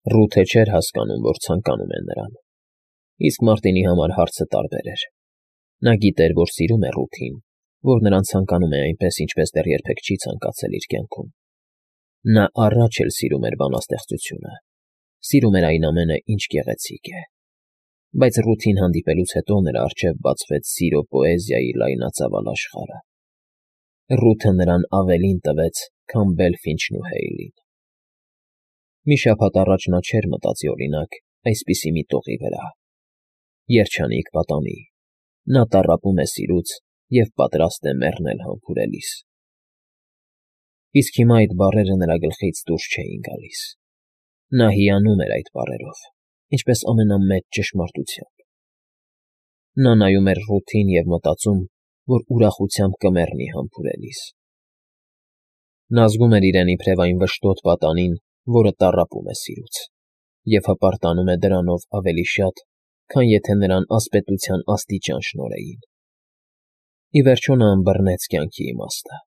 Ռութը չէր հասկանում, որ ցանկանում է նրան, իսկ Մարտինի համար հարցը տարբեր էր. նա գիտեր, որ սիրում է Ռութին, որ նրան ցանկանում է այնպես, ինչպես դեռ երբեք չի ցանկացել իր կյանքում. նա առաջ էլ սիրում էր բանաստեղծությունը, սիրում էր այն ամենը, ինչ գեղեցիկ է, բայց Ռութին հանդիպելուց հետո նրա առջև բացվեց սիրո պոեզիայի լայնածավալ աշխարհը. Ռութը նրան ավելին տվեց, քան Բելֆինչն ու Հեյլին. Մի շաբաթ առաջ նա չէր մտածի, օրինակ, այսպիսի մի տողի վրա. երջանիկ պատանի, նա տառապում է սիրուց և պատրաստ է մեռնել համբուրելիս. իսկ հիմա այդ բառերը նրա գլխից դուրս չէին գալիս. նա հիանում էր այդ բառերով, ինչպես ամենամեծ ճշմարտությամբ. նա նայում էր Ռութին և մտածում, որ ուրախությամբ կմեռնի համբուրելիս. նա զգում էր իրեն իբրև այն վշտոտ պատանին, որը տառապում է սիրուց, և հպարտանում է դրանով ավելի շատ, քան եթե նրան ասպետության աստիճան շնորհեին. ի վերջո նա ըմբռնեց կյանքի իմաստը,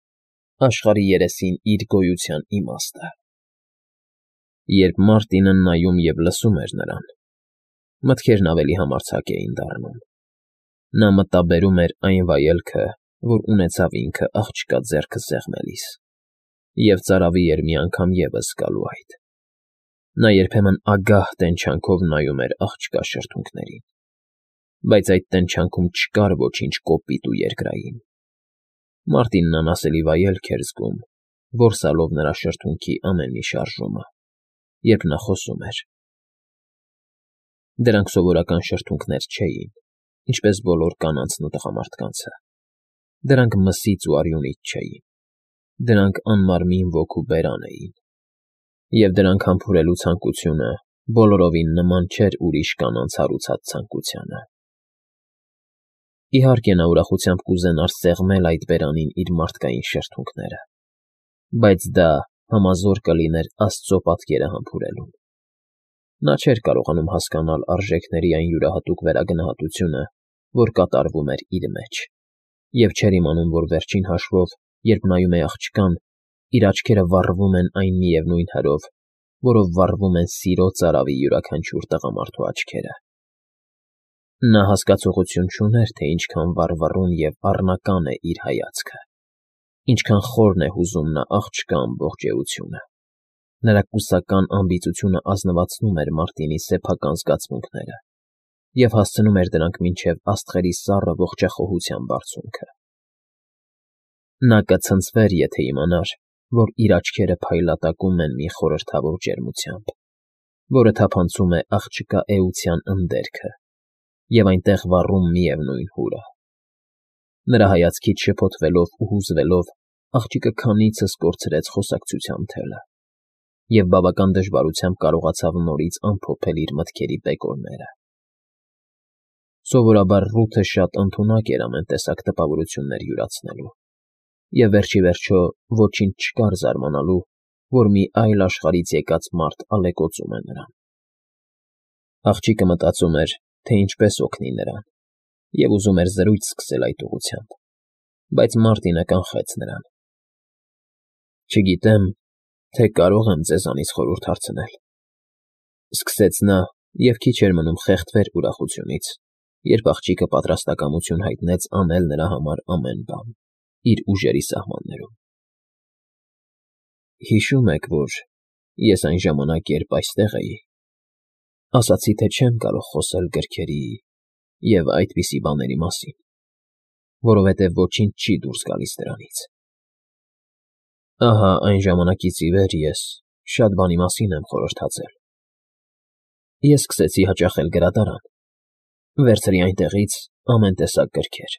աշխարհի երեսին իր գոյության իմաստը. Երբ Մարտինը նայում և լսում էր նրան, մտքերն ավելի համարձակ էին դառնում. նա մտաբերում էր այն վայելքը, որ ունեցավ ինքը աղջկա ձեռքը սեղմելիս, և ծարավի էր մի անգամ ևս զգալու այդ. նա երբեմն ագահ տենչանքով նայում էր աղջկա շրթունքներին, բայց այդ տենչանքում չկար ոչինչ կոպիտ ու երկրային. Մարտինն անասելի վայելք էր զգում, որսալով նրա շրթունքի ամեն մի շարժումը, երբ նա խոսում էր. դրանք սովորական շրթունքներ չէին, ինչպես բոլոր կանանցն ու տղամարդկանցը, դրանք մսից ու արյունից չէին, դրանք անմարմին ոգու բերան էին, և դրանք համբուրելու ցանկությունը բոլորովին նման չէր ուրիշ կանանց հարուցած ցանկությանը. իհարկե նա ուրախությամբ կուզենար սեղմել այդ բերանին իր մարդկային շրթունքները, բայց դա համազոր կլիներ Աստծո պատկերը համբուրելուն. նա չէր կարողանում հասկանալ արժեքների այն յուրահատուկ վերագնահատությունը, որ կատարվում էր իր մեջ, և չէր իմանում, որ վերջին հաշվով, երբ նայում է աղջկան, իր աչքերը վառվում են այն միևնույն հրով, որով վառվում են սիրո ծարավի յուրաքանչյուր տղամարդու աչքերը. նա հասկացողություն չուներ, թե ինչքան վառվռուն և առնական է իր հայացքը, ինչքան խորն է հուզում նա աղջկա ամբողջ էությունը. նրա կուսական ամբիծությունը ազնվացնում էր Մարտինի սեփական զգացմունքները և հասցնում էր դրանք մինչև աստղերի սառը ողջախոհության բարձունքը. նա կցնցվեր, եթե իմանար, որ իր աչքերը փայլատակում են մի խորհրդավոր ջերմությամբ, որը թափանցում է աղջկա էության ընդերքը և այնտեղ վառում միևնույն հուրը. նրա հայացքից շփոթվելով ու հուզվելով, աղջիկը քանիցս կորցրեց խոսակցության թելը և բավական դժվարությամբ կարողացավ նորից ամփոփել իր մտքերի բեկորները. Սովորաբար Ռութը շատ ընդունակ էր ամեն տեսակ տպավորություններ յուրացնելու, և վերջիվերջո ոչինչ չկար զարմանալու, որ մի այլ աշխարհից եկած մարդ ալեկոծում է նրան. աղջիկը մտածում էր, թե ինչպես օգնի նրան, և ուզում էր զրույց սկսել այդ ուղղությամբ, բայց Մարտինը կանխեց նրան. չգիտեմ, թե կարո՞ղ եմ ձեզանից խորհուրդ հարցնել,֊ սկսեց նա և քիչ էր մնում խեղդվեր ուրախությունից, երբ աղջիկը պատրաստակամություն հայտնեց անել նրա համար ամեն բան, իր ուժերի սահմաններում։ Հիշում եք, որ ես այն ժամանակ, երբ այստեղ էի, ասացի, թե չեմ կարող խոսել գրքերի և այդպիսի բաների մասին, որովհետև ոչինչ չի դուրս գալիս դրանից։ Ահա այն ժամանակից ի վեր ես շատ բանի մասին եմ խորհրդածել։ Ես սկսեցի հաճախել գրադարան, վերցրի այնտեղից ամեն տեսակ գրքեր,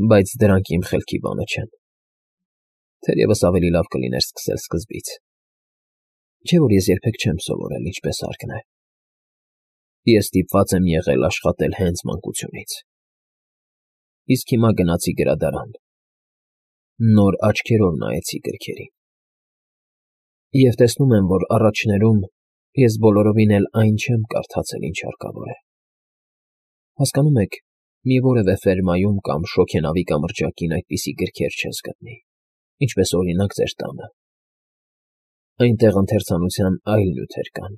բայց դրանք իմ խելքի բանը չեն։ Թերևս ավելի լավ կլիներ սկսել սկզբից, չէ՞ որ ես երբեք չեմ սովորել ինչպես հարկն է։ Ես ստիպված եմ եղել աշխատել հենց մանկությունից։ Իսկ հիմա գնացի գրադարան, նոր աչքերով նայեցի գրքերին, և տեսնում եմ, որ առաջներում ես բոլորովին էլ այն չեմ կարդացել, ինչ հարկավոր է։ Հասկանում եք, մի որևէ ֆերմայում կամ շոգենավի կամրջակին այդպիսի գրքեր չես գտնի, ինչպես օրինակ ձեր տանը։ Այնտեղ ընթերցանության այլ նյութեր կան,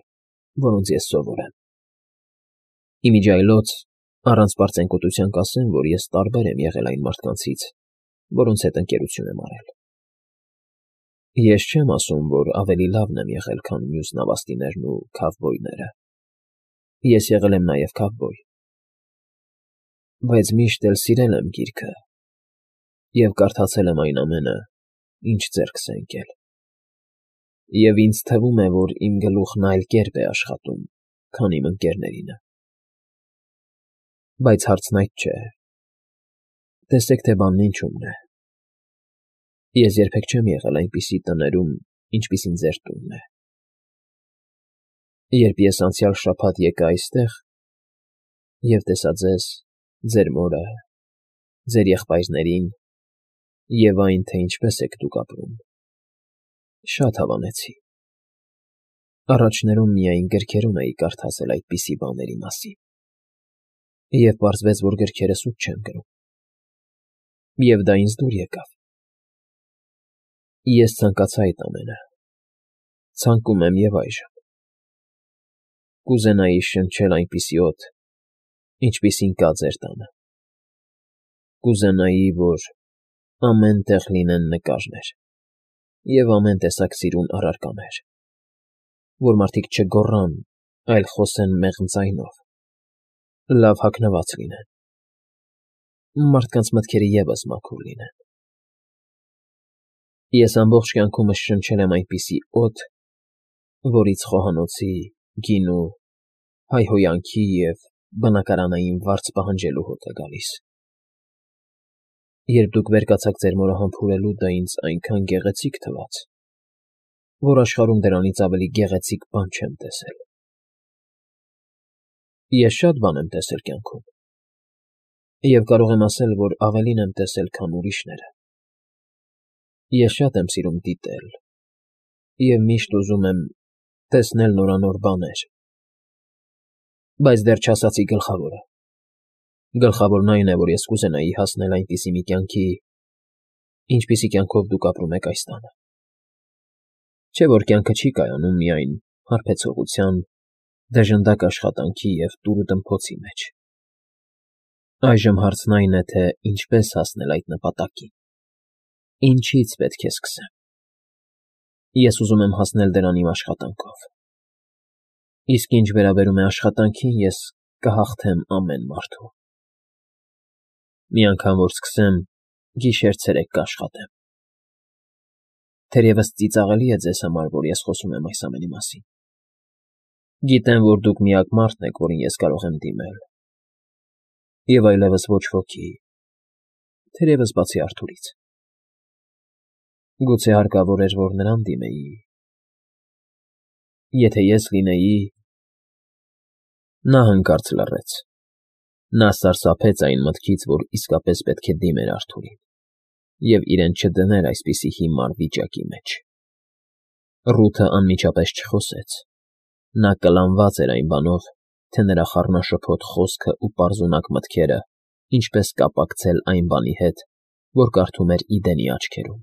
որոնց ես սովոր եմ։ Իմիջիայլոց առանց պարծենկոտության կասեմ, որ ես տարբեր եմ եղել այն մարդկանցից, որոնց հետ ընկերություն եմ արել։ Ես չեմ ասում, որ ավելի լավն եմ եղել, քան մյուս նավաստիներն ու քավբոյները։ Ես եղել եմ նաև քավբոյ, բայց միշտ էլ սիրել եմ գիրքը և կարդացել եմ այն ամենը, ինչ ձեռքս է ընկել։ Եվ ինձ թվում է, որ իմ գլուխն այլ կերպ է աշխատում, քան իմ ընկերներինը։ Բայց հարցն այդ չէ։ Տեսեք, թե բանն ինչումն է։ Ես երբեք չեմ եղել այնպիսի տներում, ինչպիսին ձեր տունն է։ Երբ ես անցյալ շաբաթ եկա այստեղ և տեսա ձեզ, ձեր մորը, ձեր եղբայրներին և այն, թե ինչպես եք դուք ապրում, շատ հավանեցի։ Առաջներում միայն գրքերում էի կարդացել այդպիսի բաների մասին, և պարզվեց, որ գրքերը սուտ չեն գրում։ Եվ դա ինձ դուր եկավ։ Ես ցանկացա այդ ամենը, ցանկում եմ և այժմ։ Կուզենայի շնչել այնպիսի օդ, ինչպիսին կա ձեր տանը։ Կուզենայի, որ ամեն տեղ լինեն նկարներ և ամեն տեսակ սիրուն առարկաներ, որ մարդիկ չգոռան, այլ խոսեն մեղմ ձայնով, լավ հագնված լինեն, մարդկանց մտքերը ևս մաքուր լինեն։ Ես ամբողջ կյանքումս շնչել եմ այնպիսի օդ, որից խոհանոցի, գինու, հայհոյանքի և բնակարանային վարձ պահանջելու հոտ է գալիս։ Երբ դուք վեր կացաք ձեր մորը համբուրելու, դա ինձ այնքան գեղեցիկ թվաց, որ աշխարհում դրանից ավելի գեղեցիկ բան չեմ տեսել։ Ես շատ բան եմ տեսել կյանքում, և կարող եմ ասել, որ ավելին եմ տեսել, քան ուրիշները։ Ես շատ եմ սիրում դիտել և միշտ ուզում եմ տեսնել նորանոր բաներ, բայց դեռ չասացի գլխավորը։ Գլխավորն այն է, որ ես կուզենայի հասնել այնպիսի մի կյանքի, ինչպիսի կյանքով դուք ապրում եք այս տանը։ Չէ՞ որ կյանքը չի կայանում միայն հարբեցողության, դժնդակ աշխատանքի և տուրուտմփոցի մեջ։ Այժմ հարցն այն է, թե ինչպես հասնել այդ նպատակին, ինչից պետք է սկսեմ։ Ես ուզում եմ հասնել դրան իմ աշխատանքով։ Իսկ ինչ վերաբերում է աշխատանքին, ես կհաղթեմ ամեն մարդու։ Մի անգամ որ սկսեմ, գիշեր֊ցերեկ կաշխատեմ։ Թերևս ծիծաղելի է ձեզ համար, որ ես խոսում եմ այս ամենի մասին։ Գիտեմ, որ դուք միակ մարդն եք, որին ես կարող եմ դիմել, և այլևս ոչ ոքի, թերևս բացի Արթուրից։ Գուցե հարկավոր էր, որ նրան դիմեի։ Եթե ես լինեի… Նա հանկարծ լռեց։ Նա սարսափեց այն մտքից, որ իսկապես պետք է դիմեր Արթուրին և իրեն չդներ այսպիսի հիմար վիճակի մեջ։ Ռութը անմիջապես չխոսեց։ Նա կլանված էր այն բանով, թե նրա խառնաշփոթ խոսքն ու պարզունակ մտքերը ինչպես կապակցել այն բանի հետ, որ կարդում էր Իդենի աչքերում։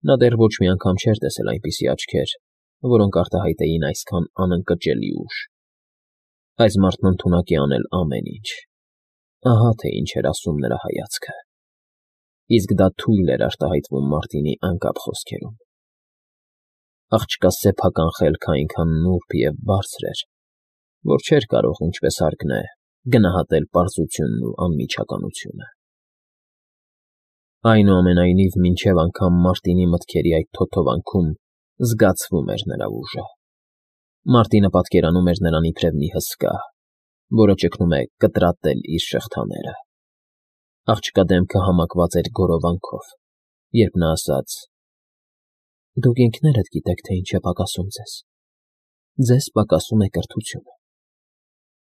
Նա դեռ ոչ մի անգամ չէր տեսել այնպիսի աչքեր, որոնք արտահայտեին այսքան անընկճելի ուժ։ Այս մարդն ընդունակ է անել ամեն ինչ։ Ահա թե ինչ էր ասում նրա հայացքը։ Իսկ դա թույլ էր արտահայտվում Մարտինի անկապ խոսքերում։ Աղջկա սեփական խելքը այնքան նուրբ և բարձր էր, որ չէր կարող, ինչպես հարկն է, գնահատել պարզությունն ու անմիջականությունը։ Այնուամենայնիվ, մինչև անգամ Մարտինի մտքերի այդ թոթովանքում զգացվում էր նրա ուժը։ Մարտինը պատկերանում էր նրան իբրև մի հսկա, որը ճգնում է կտրատել իր շղթաները։ Աղջկա դեմքը համակված էր գորովանքով, երբ նա ասաց. «Դուք ինքներդ գիտեք, թե ինչ է պակասում ձեզ։ Ձեզ պակասում է կրթությունը։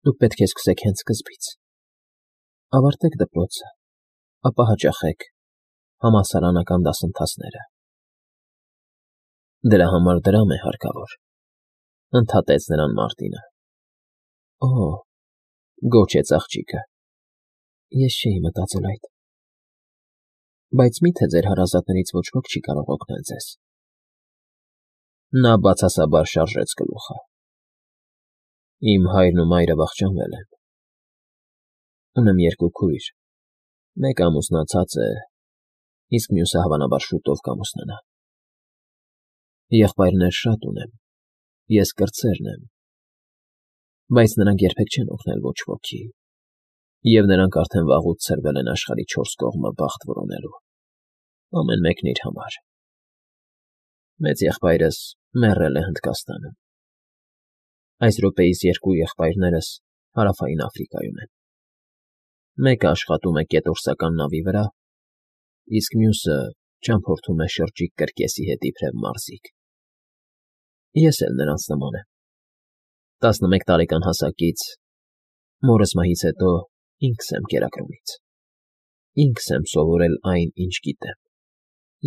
Դուք պետք է սկսեք հենց սկզբից։ Ավարտեք դպրոցը, ապա հաճախեք համալսարանական դասընթացները»։ Դրա համար դրամ է հարկավոր, ընդհատեց նրան Մարտինը։ Օ՜, գոչեց աղջիկը, ես չէի մտածել այդ։ Բայց մի՞թե ձեր հարազատներից ոչ ոք չի կարող օգնել ձեզ։ Նա բացասաբար շարժեց գլուխը։ Իմ հայրն ու մայրը վախճանվել են։ Ունեմ երկու քույր, մեկը ամուսնացած է, իսկ մյուսը հավանաբար շուտով կամուսնանա։ Եղբայրներ շատ ունեմ, ես կրտսերն եմ, բայց նրանք երբեք չեն օգնել ոչ ոքի, և նրանք արդեն վաղուց ցրվել են աշխարհի չորս կողմը բախտ որոնելու, ամեն մեկն իր համար։ Մեծ եղբայրս մեռել է Հնդկաստանում։ Այս րոպեիս երկու եղբայրներս Հարավային Աֆրիկայում են։ Մեկը աշխատում է կետորսական նավի վրա, իսկ մյուսը ճամփորդում է շրջիկ կրկեսի հետ իբրև մարզիկ։ Ես էլ նրանց նման եմ։ 11 տարեկան հասակից մորս մահից հետո ինքս եմ կերակրումից։ Ինքս եմ սովորել այն, ինչ գիտեմ,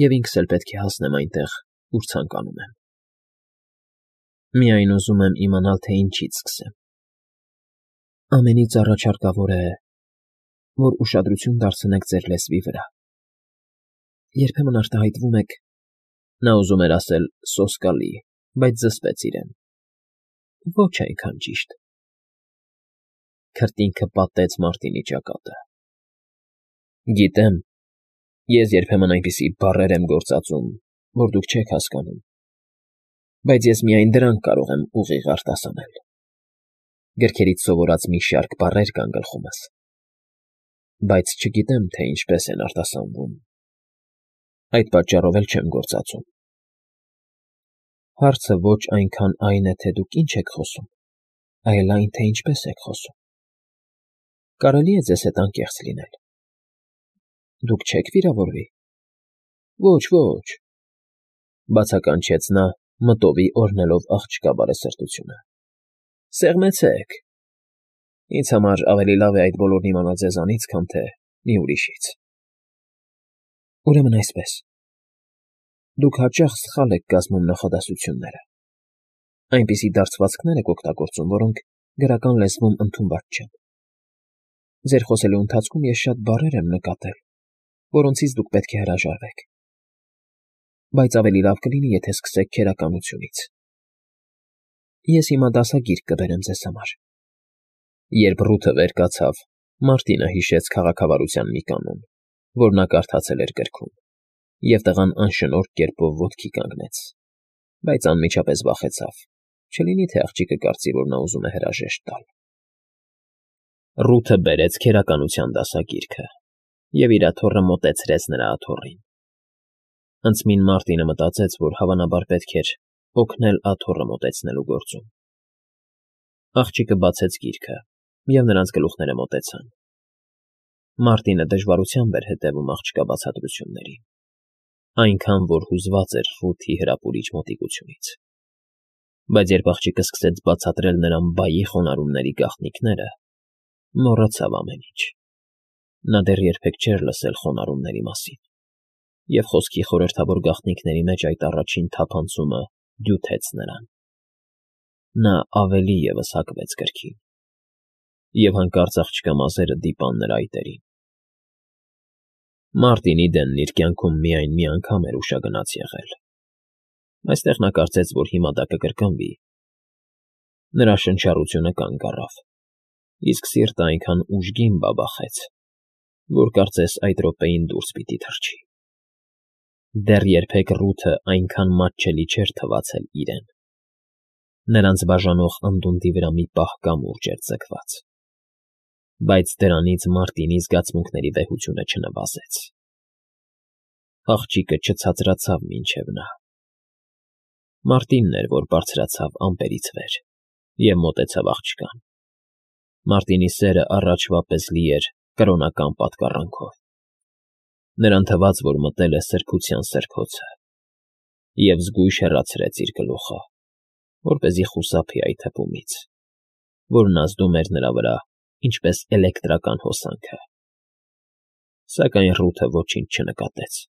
և ինքս էլ պետք է հասնեմ այնտեղ, ուր ցանկանում եմ։ Միայն ուզում եմ իմանալ, թե ինչից սկսեմ։ Ամենից առաջ հարկավոր է, որ ուշադրություն դարձնեք ձեր լեզվի վրա։ Երբեմն արտահայտվում եք, նա ուզում էր ասել սոսկալի, բայց զսպեց իրեն։ Ոչ այնքան ճիշտ։ Քրտինքը պատեց Մարտինի ճակատը։ Գիտեմ, ես երբեմն այնպիսի բառեր եմ գործածում, որ դուք չեք հասկանում, բայց ես միայն դրանք կարող եմ ուղիղ արտասանել։ Գրքերից սովորած մի շարք բառեր կան գլխումս, բայց չգիտեմ, թե ինչպես են արտասանվում։ Այդ պատճառով էլ չեմ գործածում։ Հարցը ոչ այնքան այն է, թե դուք ինչ եք խոսում, այլ այն, թե ինչպես եք խոսում։ Կարելի է ձեզ հետ անկեղծ լինել։ Դուք չեք վիրավորվի։ Ոչ, ոչ, բացականչեց նա, մտովի օրհնելով աղջկա բարեսրտությունը։ Սեղմեցեք։ Ինձ համար ավելի լավ է այդ բոլորն իմանալ ձեզանից, քան թե մի ուրիշից։ Ուրեմն այսպես. դուք հաճախ սխալ եք կազմում նախադասությունները։ Այնպիսի դարձվածքներ եք օգտագործում, որոնք գրական լեզվում ընդունված չեն։ Ձեր խոսելու ընթացքում ես շատ բառեր եմ նկատել, որոնցից դուք պետք է հրաժարվեք։ Բայց ավելի լավ կլինի, եթե սկսեք քերականությունից։ Ես հիմա դասագիրք կբերեմ ձեզ համար։ Երբ Ռութը վեր կացավ, Մարտինը հիշեց քաղաքավարության մի կանոն, որ նա կարդացել էր գրքում, և տղան անշնորհ կերպով ոտքի կանգնեց, բայց անմիջապես վախեցավ, չլինի թե աղջիկը կարծի, որ նա ուզում է հրաժեշտ տալ։ Ռութը բերեց քերականության դասագիրքը և իր աթոռը մոտեցրեց նրա աթոռին։ Անցմին Մարտինը մտածեց, որ հավանաբար պետք էր օգնել աթոռը մոտեցնելու գործում։ Աղջիկը բացեց գիրքը, և նրանց գլուխները մոտեցան։ Մարտինը դժվարությամբ էր հետևում աղջկա բացատրություններին, այնքան, որ հուզված էր Ռութի հրապուրիչ մոտիկությունից։ Բայց երբ աղջիկը սկսեց բացատրել նրան բայի խոնարհումների գաղտնիքները, մոռացավ ամեն ինչ։ Նա դեռ երբեք չէր լսել խոնարհումների մասին, և խոսքի խորհրդավոր գաղտնիքների մեջ այդ առաջին թափանցումը դյութեց նրան։ Նա ավելի ևս հակվեց գրքին, և հանկարծ աղջկա մազերը դիպան նրա այտերին։ Մարտինի դենն իր կյանքում միայն մի անգամ էր ուշագնաց եղել։ Այստեղ նա կարծեց, որ հիմա դա կկրկնվի։ Նրա շնչառությունը կանգ առավ, իսկ սիրտը այնքան ուժգին բաբախեց, որ կարծես այդ րոպեին դուրս պիտի թռչի։ Դեռ երբեք Ռութը այնքան մատչելի չէր թվացել իրեն։ Նրանց բաժանող անդունդի վրա մի պահ կամուրջ էր ձգված։ Բայց դրանից Մարտինի զգացմունքների վեհությունը չնվազեց։ Աղջիկը չցածրացավ մինչև նա։ Մարտինն էր, որ բարձրացավ ամպերից վեր և մոտեցավ աղջկան։ Մարտինի սերը առաջվա պես լի էր կրոնական պատկառանքով։ Նրան թվաց, որ մտել է սրբության սրբոցը, և զգույշ հեռացրեց իր գլուխը, որպեսզի խուսափի այդ հպումից, որն ազդում էր նրա վրա ինչպես էլեկտրական հոսանքը։ Սակայն Ռութը ոչինչ չնկատեց։